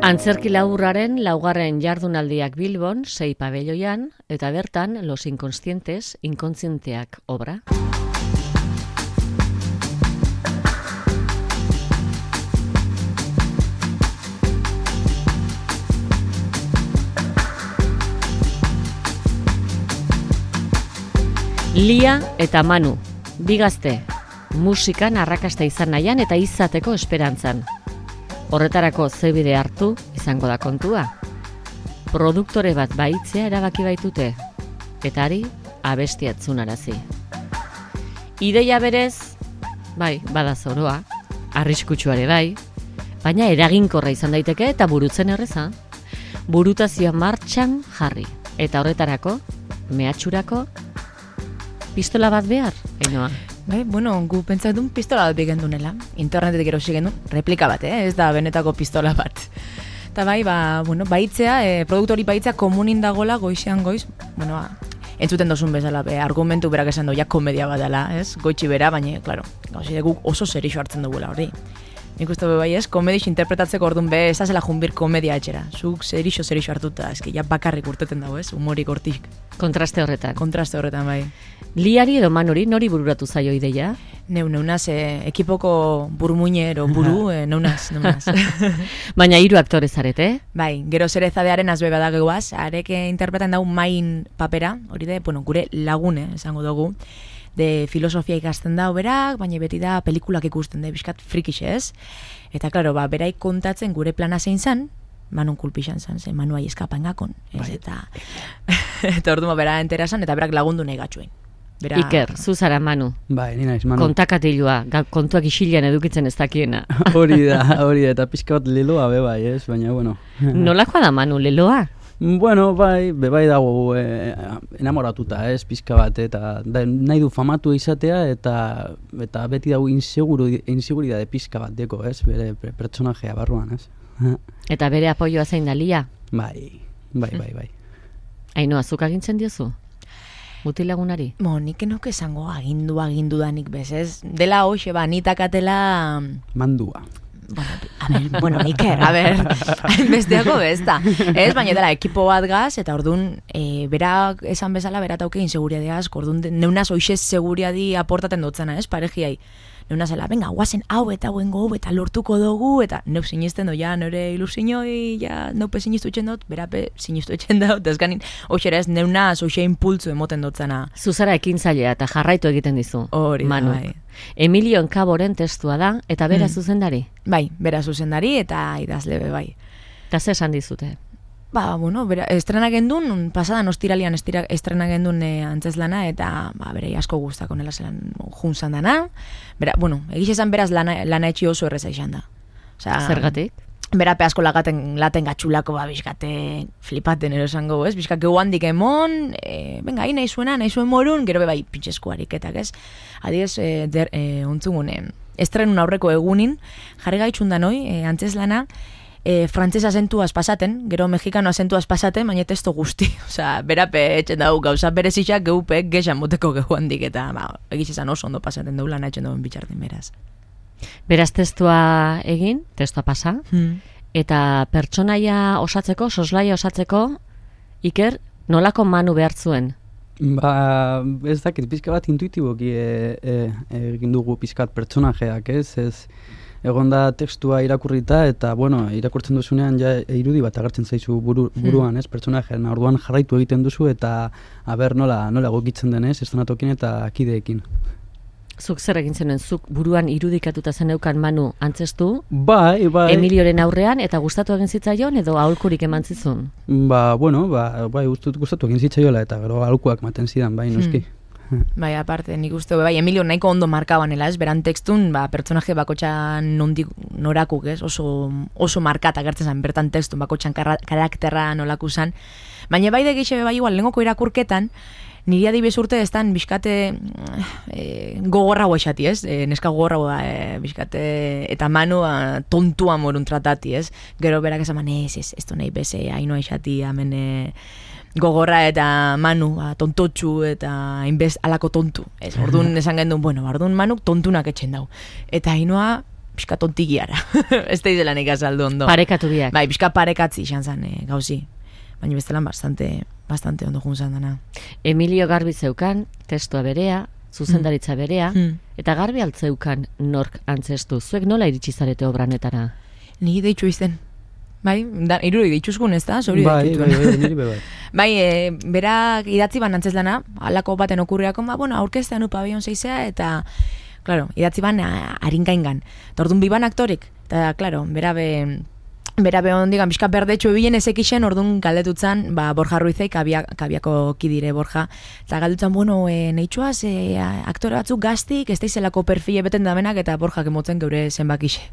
Antzerki laburraren laugarren jardunaldiak Bilbon, 6 pabelloian, eta bertan Los Inconscientes, inkontzienteak obra. Lia eta Manu, bi gazte, musikan arrakasta izan nahian eta izateko esperantzan. Horretarako ze bide hartu izango da kontua. Produktore bat baitzea erabaki baitute, eta ari abestia atzunarazi. Ideia berez, bai, bada zoroa, arriskutsuare bai, baina eraginkorra izan daiteke eta burutzen erreza. Burutazioa martxan jarri, eta horretarako, mehatxurako, pistola bat behar, Ainhoa. Bai, bueno, gu pentsatun pistola bat bigendunela. Internetetik erosi gendun, replika bat, ez da benetako pistola bat. Eta bai, baitzea, produktori baitzea komunin dagola goizean goiz, entzuten dozun bezala, argumentu berak esan ja komedia bat dela, ez? Goitxi bera, baina, klaro, guk oso serixo hartzen dugula hori. Nik uste bai ez, komedix interpretatzeko orduan ez azela junbir komedia etxera. Zuk serixo hartuta, eski ja bakarrik urteten dago, ez? Humorik hortik. Kontraste horretan, bai. Liari edo Manuri nori bururatu zaio ideia? Neunaz, ekipoko burmuñero buru, neunaz. Baina 3 aktore zarete? Bai, gero Zerezadearen azbe badageguaz, arek interpretan dau main papera, hori de, gure lagune, esango dugu, de filosofia ikasten da berak, baina beti da pelikulak ikusten da, bizkat frikix ez. Eta, klaro, beraik kontatzen gure plana zein zan, Manun kulpixan zan, ze Manu ahi eskapan gakon. Bai. Eta orduan bera enterazan, eta berak lagundu nahi gatxuen. Iker, zu zara Manu. Bai, ni naiz Manu. Kontakatilua, kontuak isilean edukitzen ez dakiena. Hori da, eta pixka bat leloa bai, ez, baina, bueno. Nolakoa da Manu, leloa? Bueno, bai dago enamoratuta, ez, pixka bat, eta nahi du famatu izatea, eta beti dago inseguridade pixka bat deko, ez, bere pertsonajea barruan, ez. Eta bere apoioa zein da Lia? Bai. Ainhoa, zuk agintzen diozu? Mutilagunari? Nik enoke esango agindu danik bezez. Dela hoxe, nitakatela... Mandua. Iker, besteako bezta. Ez, baina dela ekipo bat gaz, eta orduan, berak esan bezala, berat auke inseguriadeaz, orduan, neunaz hoxez seguriadi aportaten dutzena, ez, parejiai. Neunazela, venga, guazen hau eta lortuko dugu, eta neu sinisten doia, nore ilusiñoi, neupe sinistu etxen dut, berape sinistu etxen dut, ez ganin, hoxera ez, neunaz hoxe impultzu emoten dutzena. Zuzara ekintzailea eta jarraitu egiten dizu. Hori da, bai. Emilio Enkaboren testua da, eta bera zuzendari? Bai, bera zuzendari eta idazlebe, bai. Eta ze esan dizute? Estrena gendun, pasadan ostiralian estrena gendun antzeslana, eta bere asko guztako nela zelan juntzan dana. Egiz esan beraz lana etxi oso erreza izan da. Zergatik? Berape asko laten gatxulako, bizkate flipaten erosango, ez? Bizkak geu handik emon, venga, nahi zuen morun, gero bai pintxesku ariketak, ez? Adiez, ontzugune, estrenun aurreko egunin, jarri gaitxun da noi, antzeslana, frantzesa azentuaz pasaten, gero mexikano azentuaz pasaten, baina testo guzti. Berape etxen dago gauza berezitxak geupek gexan moteko gehu handik, eta egiz izan oso ondo pasaten dugu lan etxen dagoen bitxartin beraz. Beraz testua egin, testua pasa, eta pertsonaia osatzeko, soslaia osatzeko, Iker, nolako Manu behar zuen? Ez dakit, pizka bat intuitiboki egin dugu pizkat pertsonajeak, ez egon da tekstua irakurrita, eta, irakurtzen duzunean irudi bat agertzen zaizu buruan, ez, pertsonajean, orduan jarraitu egiten duzu, eta nola egokitzen denez, estanatokin eta kideekin. Zuk zer egin zenuen, zuk buruan irudikatuta zeneukan Manu antzestu? Bai. Emilioren aurrean, eta gustatu egin zitzaion, edo aholkurik eman zizun? Gustatu egin zitzaiola, eta gero aholkuak maten zidan, bai, noski. Bai, aparte, nik uste, Emilio nahiko ondo markabanela, ez, beran tekstun, pertsonaje bakotxan norakuk, ez, oso markata gertzen zen, bertan tekstun bakotxan karakterra nolaku zen, baina bai da gehiago igual, lengoko irakurketan, niri adibes urte ez dan bizkate gogorra guaixati, ez? Neska gogorra bizkate eta Manu tontua morun tratati, ez? Gero berak esaman, ez nahi beze, haino aixati, hemen gogorra eta Manu tontotxu eta hainbez alako tontu. Ez, orduan esan gendun, orduan Manuk tontunak etxen dau. Eta hainoa pixka tontigiara. Ez da izela nik azaldu ondo. Parekatu biak. Bai, pixka parekatzi izan zen gauzi. Baina bestelan bastante ondo junzan dana. Emilio Garbi zeukan, testua berea, zuzendaritza berea, eta Garbi altzeukan nork antzestu. Zuek nola iritsi zarete obranetara? Ni deitxu izten. Bai, irudi deitxuzgun ez da, zori bai, niri bai. Bai, berak idatzi ban antzezlana, alako baten okurriako, bueno, aurkeztean Pabellon 6 eta, claro, idatzi ban harinkaingan. Tordun biban aktorik, eta, claro, berabe ondigan, bizka berdetxo ebien ezekixen, orduan galdetutzan, Borja Ruizeik, kabiako kidire Borja, eta galdetutzan, bueno, nahitxuaz, aktore batzuk gaztik, ez daizelako perfile beten damenak, eta Borjak emotzen geure zenbakixe.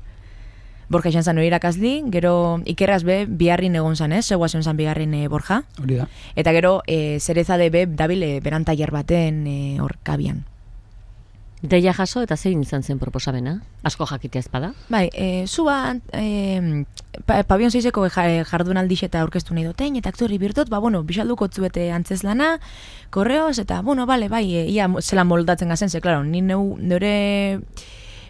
Borja izan zan hori irakazli, gero ikerraz be, biharrin egon zan, zegoa zen biharrin Borja. Hori da. Eta gero, zerezade be, dabil berantaier baten hor kabian. Deia jaso eta zein izan zen proposamena? Asko jakitea ezpada? Bai, zua Pabellon 6eko jardunaldiz eta aurkeztu nahi duten, eta aktori birtot, bueno, bisalduko zuete antzezlana, korreoz, eta, bueno, bale, bai, ia zelan moldatzen gazen, ze, klaro, ni neure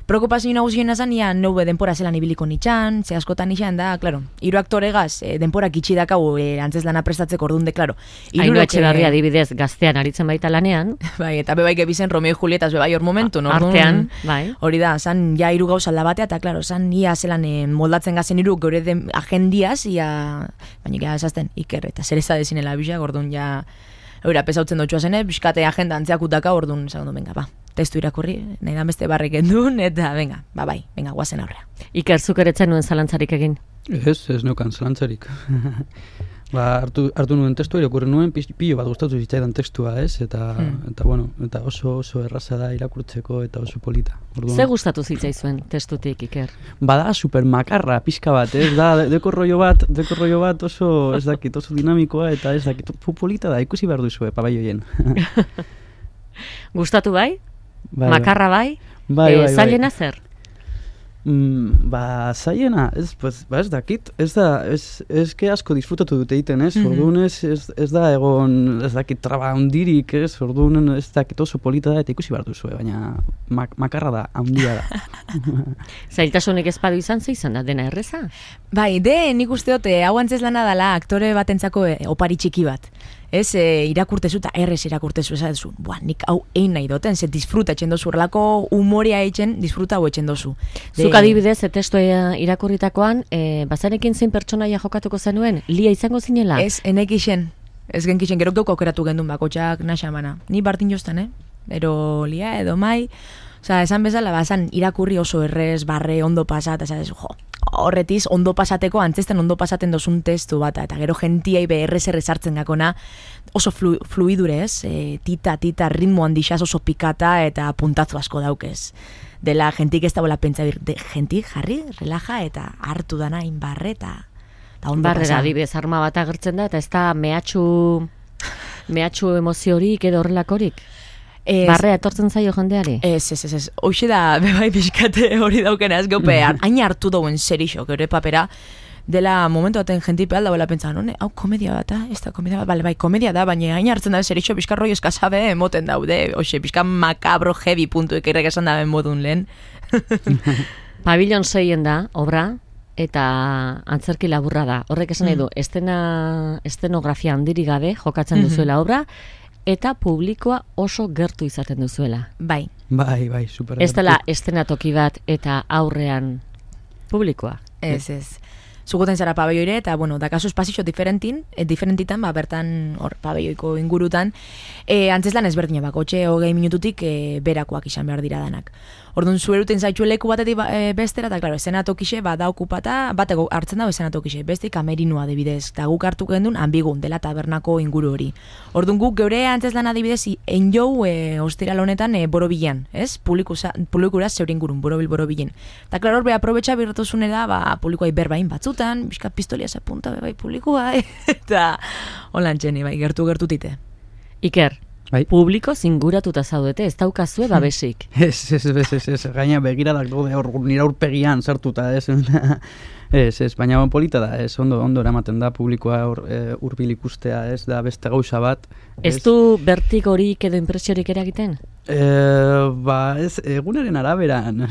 preokupazio nagusien azan, ia neube denpora zelan ibiliko nitxan, ze askotan nitxan da, klaro, hiru aktoregaz, denporak itxi dakau antzezlana prestatzeko orduan de, klaro. Haino Etxebarria adibidez gaztean aritzen baita lanean. Bai, eta bebai gebizen Romeo y Julietas bebai hor momentu, no? Artean, bai. Hori da, zan ja hiru gauza aldabatea, eta klaro, zan ia zelan moldatzen gazen hiru geure agendiaz, ia, baina gara esazten Iker, eta zer ez da dezinela bizak, orduan ja, eura pesautzen dutxua zene, biskate agenda antzeakutaka, orduan, zagundu, venga, ba. Testu irakurri, nahi da beste barrik endun, eta venga, guazen aurrea. Iker, zuk eretzen nuen zalantzarik egin? Ez neukan zalantzarik. Hartu nuen testua, irakurri nuen, pilo bat gustatu zitzaidan testua, ez? Eta bueno, eta oso erraza da irakurtzeko eta oso polita. Ze gustatu zitzaizuen testutik, Iker? Bada supermakarra, pixka bat, ez da, dekorroio bat oso, ez dakit, oso dinamikoa, eta ez dakit, polita da, ikusi behar duzue, pabaioien. Gustatu bai? Makarra bai? Zailena zer? Zailena, ez dakit, ez que asko disfrutatu dute egiten, ez? Orduan ez da egon, ez dakit traba handirik, ez? Orduan ez dakit oso polita da eta ikusi behar duzue, baina makarra da, handia da. Zailtasunik ezpadu izan da, dena erreza? Bai, nik usteote, hau antzezlana dela aktore batentzako opari txiki bat. Ez, irakurtezu eta errez irakurtezu, esatezu, nik hau egin nahi doten, ze disfruta etxen dozu, horrelako humoria etxen, disfruta hau etxen dozu. Zuk adibidez, testu irakurritakoan, bazarekin zein pertsonaia jokatuko zenuen, lia izango zinela? Ez, enekixen, ez genkixen, gero geuko aukeratu gendun bakotxak naxamana. Ni bartin jostan, ero lia edo mai, oza, esan bezala, bazan irakurri oso errez, barre, ondo pasat, esatezu, horretiz, ondo pasateko, antzesten ondo pasaten dozun testu bat, eta gero gentiai errez hartzen gakona, oso fluidurez, tita, ritmo handixaz oso pikata, eta puntatzu asko daukez. Dela, gentik ez da bola pentsa gentik jarri, relaja, eta hartu dana inbarre, eta ondo pasa. Barrera, adibidez, arma bat agertzen da, eta ez da mehatxu emoziorik edo horrelakorik? Barrea etortzen zaio jendeari? Ez. Hoxe da, bebai pixkate hori daukena ez gaupe, hain hartu dauen zerixo, gure papera, dela momentu baten jentipe alda bela pentsan, hau komedia bat, ez da komedia bat, bai, komedia da, baina hain hartzen da zerixo, pixka roi eskazabe emoten daude, hoxe, pixka makabro heavy puntu ekerrek esan daben modun lehen. Pabellon 6 da, obra, eta antzerki laburra da. Horrek esan nahi du, estenografia handirik gabe jokatzen duzuela obra, eta publikoa oso gertu izaten duzuela. Bai, super gertu. Ez dela estenatoki bat eta aurrean publikoa. Ez. Zugoten zara pabelloire, eta, bueno, dakazu espazio diferentitan, bertan, hor, pabelloiko ingurutan, antzeslan ezberdina bakotxe, 20 minututik berakoak izan behar dira danak. Orduan, zueruten zaitxu leku batetik bestera, eta, klaro, esenatokixe, da okupata, bateko hartzen dago esenatokixe, beste kamerinua adibidez, eta guk hartu gendun, ambigun, dela tabernako inguru hori. Orduan, guk geure antzeslan adibidez, enjou, ostiral honetan, borobilan, ez? Publikura zeure ingurun, borobilen. Eta, klaro, hor, aprobetxa birretuzunera, publikoai berbain batzutan, bizka pistolia zapunta, bai, publikoa, eta holan txeni, bai, gertu-tite. Iker, bai. Publiko zinguratuta zaudete, ez daukazue babesik. Ez, gaina begiradak daude nire aurpegian sartuta, ez. Ez, baina polita da, ez, ondo eramaten da publikoa hurbil ikustea, ez, da beste gauza bat. Ez du bertigorik edo impresiorik eragiten? Ez, egunaren araberan,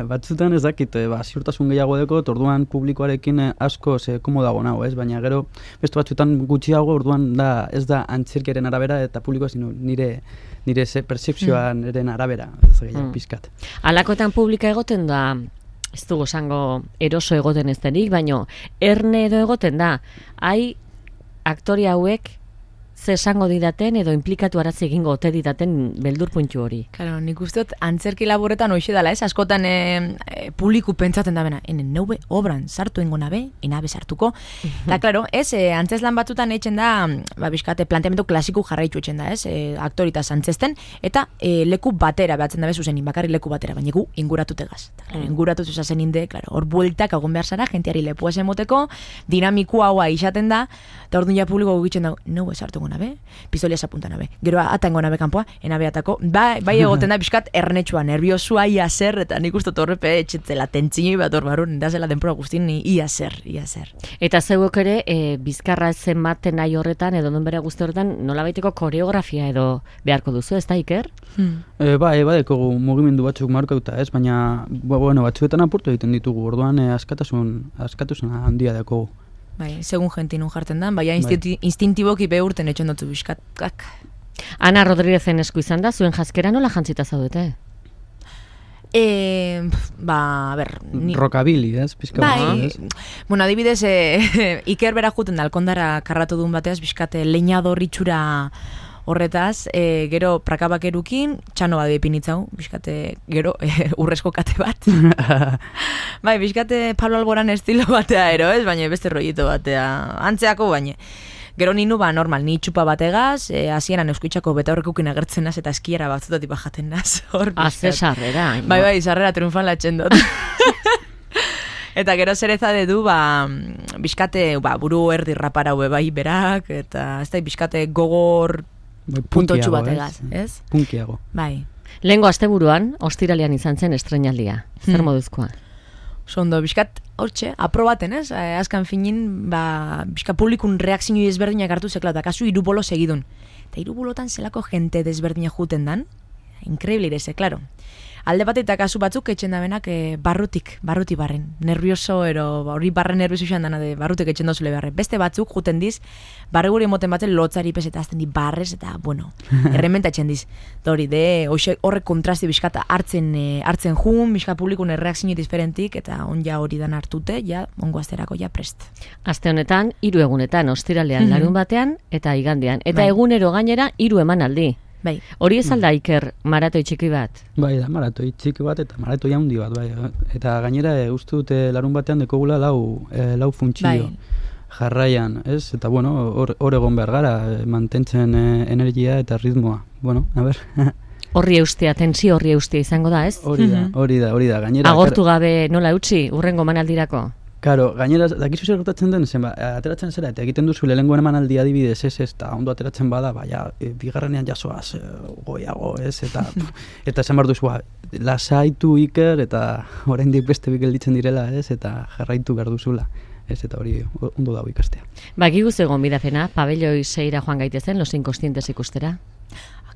batzutan ez dakit, ziurtasun gehiago deko, orduan publikoarekin asko komodago nago, ez? Baina gero, beste batzutan gutxiago, orduan ez da antzerkiaren arabera eta publikoa, sino nire percepzioan eren arabera, ez gehiago pizkat. Alakoetan publika egoten da, ez dugu esango eroso egoten ez denik, baina erne edo egoten da, aktori hauek ze esango didaten edo implikatu arazi egingo ote didaten beldur puntu hori. Claro, nik uste dut antzerki laboretan hoxe dala, ez? Askotan publiku pentsatzen da bena, neube obran sartu ingo nabe, enabe sartuko. Da, claro, ez, antzeslan batzutan etxen da, bizkate, planteamendu klasiku jarraitu etxen da, ez? Aktoritaz antzesten, eta leku batera behatzen dabe zuzenin, bakarri leku batera, baina gu inguratutegaz. Inguratu zuzazen inde, claro, hor bueltak agon behar zara, jentiari lepu esen moteko, dinamiku haua isaten da, eta orduan ja publiko gugitzen da, neube sartu nabe, pistolias apunta nabe. Gero atango nabe kanpoa, enabe atako. Bai egoten da bizkat ernetxua, nerviosua, ia zer, eta nik uste torrepe etxetzela tentzini bat hor barun, da zela denpora guztin, ia zer. Eta zeuek ere, bizkarra zenbaten nahi horretan, edo non bere guzti horretan, nolabaiteko koreografia edo beharko duzu, ez da, Iker? Badekogu mugimendu batzuk markauta, ez? Baina, batzuetan apurtu egiten ditugu, orduan askatasun handia dekogu. Bai, segun jentinun jartzen da, baina instintiboki behurten etxen dutzu bizkatkak. Ana Rodríguezen esku izan da, zuen jaskera nola jantzita zaudete? Rockabilly, ez? Bai, bueno, adibidez, Iker bera juten da, alkondara karratu duen bateaz, bizkate leñador itxura horretaz, gero prakabak erukin, txano bat epinitzau, bizkate, gero, urrezko kate bat. Bai, bizkate Pablo Alboran estilo batea ero, ez? Baina beste rollito batea, antzeako baina. Gero ninu, normal, ni txupa bategaz, hasieran euskuitzako beta horrekukin agertzen naz, eta eskiera batzutatik bajaten naz. Azte sarrera. Bai, sarrera triunfan latxen dut. Eta gero zereza du, bizkate, buru erdi rapara hue bai berak, eta ez da, bizkate gogor puntotxu bategaz, ez? Punkiago. Bai. Lehengo asteburuan, ostiralean izan zen estrenaldia. Zer moduzkoa? Sondo, bizkat, hortxe, aprobaten, ez? Azkan finin, bizkat publikun reakzinu desberdinak hartu zekla, eta kasu irubolo segidun. Eta irubolotan zelako jente desberdinak juten dan, inkreibli ere ze, klaro. Alde bat eta kasu batzuk etxen da benak barruti barren. Nervioso, hori barren nervioso izan dana de barrutik etxen dozule barren. Beste batzuk juten diz, barre guri emoten batzen lotzari pez eta azten di barrez eta, bueno, errementa etxen diz. Hori, horrek kontrasti bizkata hartzen jun, bizkat publikun erreakzio diferentik, eta onja hori dan hartute, ja, ongo asterako ja prest. Aste honetan, 3 egunetan, ostiralean, larun batean, eta igandean. Eta egunero gainera, 3 emanaldi. Bai. Hori ez alda, Iker, maratoi txiki bat? Bai, da, maratoi txiki bat eta maratoi handi bat, bai. Eta gainera, uste dute larun batean dekogula lau funtzio jarraian, ez? Eta, bueno, hor egon behar gara, mantentzen energia eta ritmoa. Bueno, a ber. Horri eustea, tensio horri eustea izango da, ez? Hori da. Gainera, agortu gabe nola utzi, urrengo manaldirako? Karo, gainera, dakizu zer gertatzen den, ateratzen zera, eta egiten duzu lehengoen emanaldi adibidez, ez, eta ondo ateratzen bada, bigarrenean jasoaz, goiago, ez, eta esan behar duzu, lasaitu Iker, eta oraindik beste gelditzen direla, ez, eta jarraitu behar duzula, ez, eta hori ondo dago ikastea. Gigu zegoen bidazena, pabelloi 6 joan gaitezen, Los Inconstientes ikustera?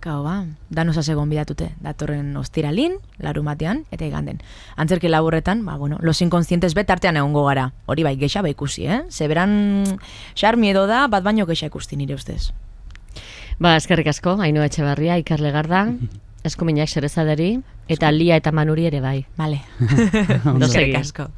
Akabo, danosaz egon bidatute, datorren ostiralin, larun batean, eta iganden. Antzerki laburretan, Los Inconstientes betartean egongo gara. Hori bai, gexa ikusi, Zeberan xarmi edo da, bat baino gexa ikusti nire ustez. Eskerrik asko, Ainhoa Etxebarria, Iker Legarda, eskuminak Xerezaderi, eta Lia eta Manuri ere bai. Vale. Eskerrik asko.